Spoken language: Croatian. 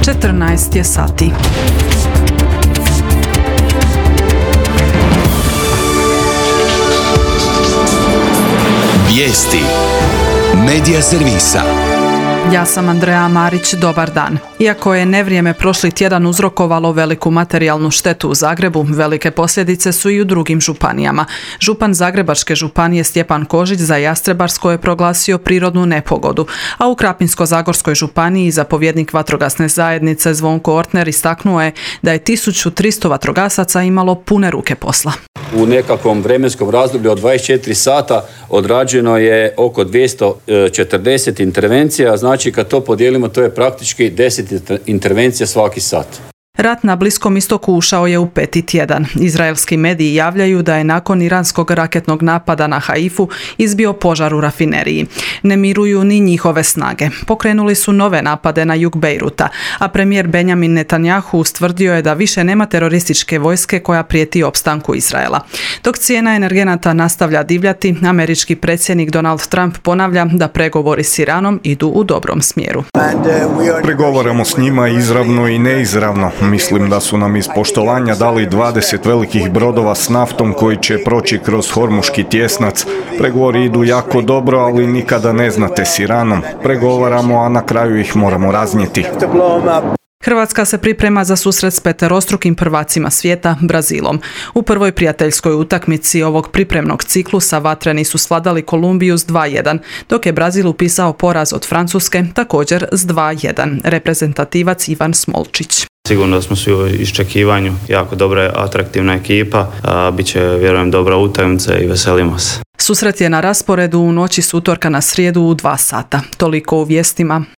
14 je sati. Vijesti Medija servisa. Ja sam Andreja Marić, dobar dan. Iako je nevrijeme prošli tjedan uzrokovalo veliku materijalnu štetu u Zagrebu, velike posljedice su i u drugim županijama. Župan Zagrebačke županije Stjepan Kožić za Jastrebarsko je proglasio prirodnu nepogodu, a u Krapinsko-zagorskoj županiji zapovjednik vatrogasne zajednice Zvonko Ortner istaknuo je da je 1300 vatrogasaca imalo pune ruke posla. U nekakvom vremenskom razdoblju od 24 sata odrađeno je oko 240 intervencija, znači kad to podijelimo to je praktički 10 intervencija svaki sat. Rat na Bliskom istoku ušao je u peti tjedan. Izraelski mediji javljaju da je nakon iranskog raketnog napada na Haifu izbio požar u rafineriji. Ne miruju ni njihove snage. Pokrenuli su nove napade na jug Bejruta, a premijer Benjamin Netanjahu ustvrdio je da više nema terorističke vojske koja prijeti opstanku Izraela. Dok cijena energenata nastavlja divljati, američki predsjednik Donald Trump ponavlja da pregovori s Iranom idu u dobrom smjeru. Pregovaramo s njima izravno i neizravno. Mislim da su nam iz poštovanja dali 20 velikih brodova s naftom koji će proći kroz Hormuški tjesnac. Pregovori idu jako dobro, ali nikada ne znate s Iranom. Pregovaramo, a na kraju ih moramo raznijeti. Hrvatska se priprema za susret s peterostrukim prvacima svijeta, Brazilom. U prvoj prijateljskoj utakmici ovog pripremnog ciklusa vatreni su svladali Kolumbiju s 2:1, dok je Brazil upisao poraz od Francuske također s 2:1. Reprezentativac Ivan Smolčić. Sigurno da smo svi u iščekivanju, jako dobra, atraktivna ekipa, bit će, vjerujem, dobra utakmica i veselimo se. Susret je na rasporedu u noći s utorka na srijedu u 2 sata. Toliko u vijestima.